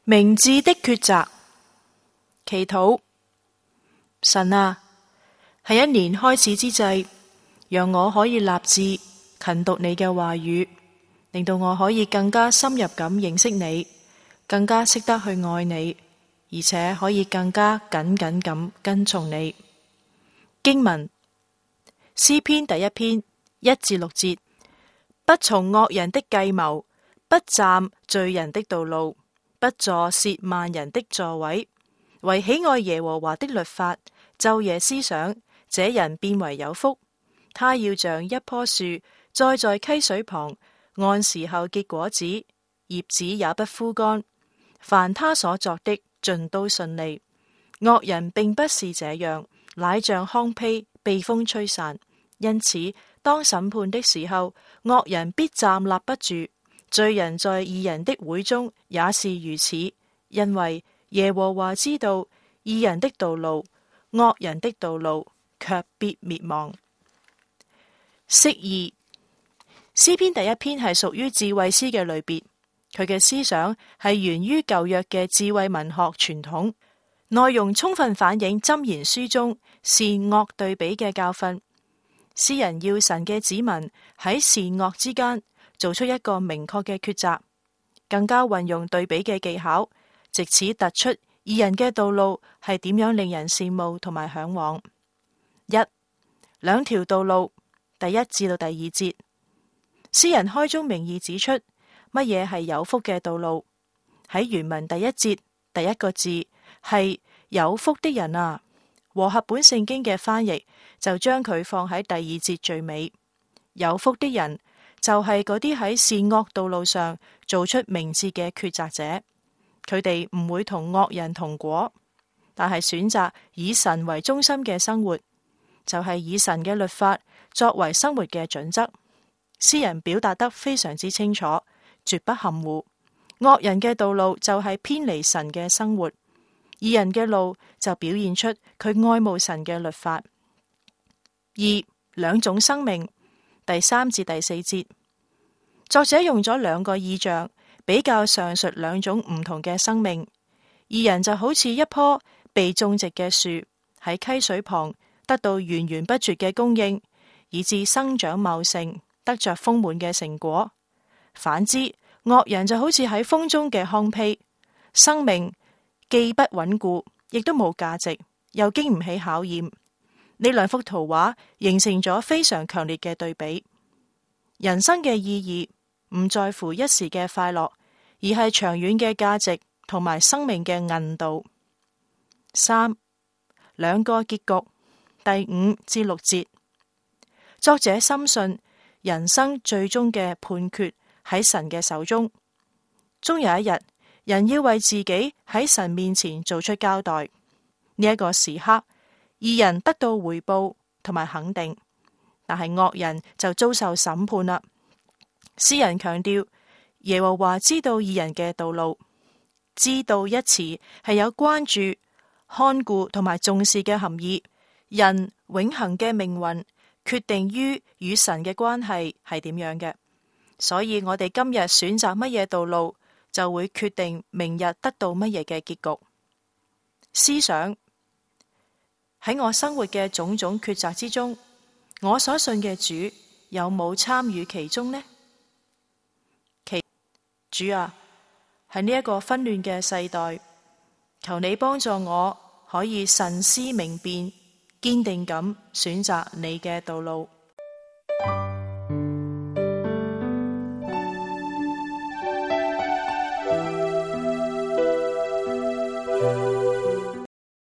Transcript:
明智的抉擇。祈禱。神啊，喺一年開始之際，讓我可以立志勤讀你嘅話語，令到我可以更加深入咁認識你，更加識得去愛你，而且可以更加緊緊咁跟從你。經文：詩篇第1篇1至6節。不從惡人的計謀，不站罪人的道路，不坐褻慢人的座位，為喜愛耶和華的律法，晝夜思想，這人便為有福。他要像一棵樹栽在溪水旁，按時候結果子，葉子也不枯乾。凡他所作的，盡都順利。惡人並不是這樣，乃像糠秕被風吹散。因此，當審判的時候，惡人必站立不住。罪人在義人的會中也是如此，因為耶和華知道義人的道路，惡人的道路卻必滅亡。釋義。詩篇第1篇係屬於智慧詩嘅類別，佢嘅思想係源於舊約嘅智慧文學傳統，內容充分反映箴言書中善惡對比嘅教訓。詩人要神嘅子民喺善惡之間做出一個明確嘅抉擇，更加運用對比嘅技巧，藉此突出義人嘅道路係點樣令人羨慕同埋向往。兩條道路，第1至到第2節。詩人開宗明義指出乜嘢係有福嘅道路。喺原文第1節第一個字係有福的人啊，和合本聖經嘅翻譯就將佢放喺第2節最尾。有福的人就係嗰啲喺善惡道路上做出明智嘅抉擇者，佢哋唔會同惡人同果，但係選擇以神為中心嘅生活，就係以神嘅律法作為生活嘅準則。詩人表達得非常之清楚，絕不含糊。惡人嘅道路就係偏離神嘅生活，義人嘅路就表現出佢愛慕神嘅律法。兩種生命，第3至第4節。作者用咗2個意象比較上述2種唔同嘅生命。義人就好似一棵被種植嘅樹，喺溪水旁得到源源不絕嘅供應，以致生長茂盛，得着豐滿嘅成果。反之，惡人就好似喺風中嘅糠秕，生命既不穩固，亦都冇價值，又經唔起考驗。呢2幅圖畫形成咗非常強烈嘅對比。人生嘅意義唔在乎一時嘅快樂，而係長遠嘅價值同埋生命嘅韌度。2個結局，第5至6節。作者深信人生最終嘅判決喺神嘅手中，終有一日，人要為自己喺神面前做出交代。呢一個時刻，義人得到回報同埋肯定，但係惡人就遭受審判啦。詩人強調耶和華知道義人嘅道路，知道一詞係有關注、看顧同埋重視嘅含義。人永恆嘅命運決定於與神嘅關係係點樣嘅，所以我哋今日選擇乜嘢道路，就會決定明日得到乜嘢嘅結局。思想。喺我生活嘅種種抉擇之中，我所信嘅主有冇參與其中呢？主啊，喺呢一個紛亂嘅世代，求你幫助我可以慎思明辨，堅定咁選擇你嘅道路。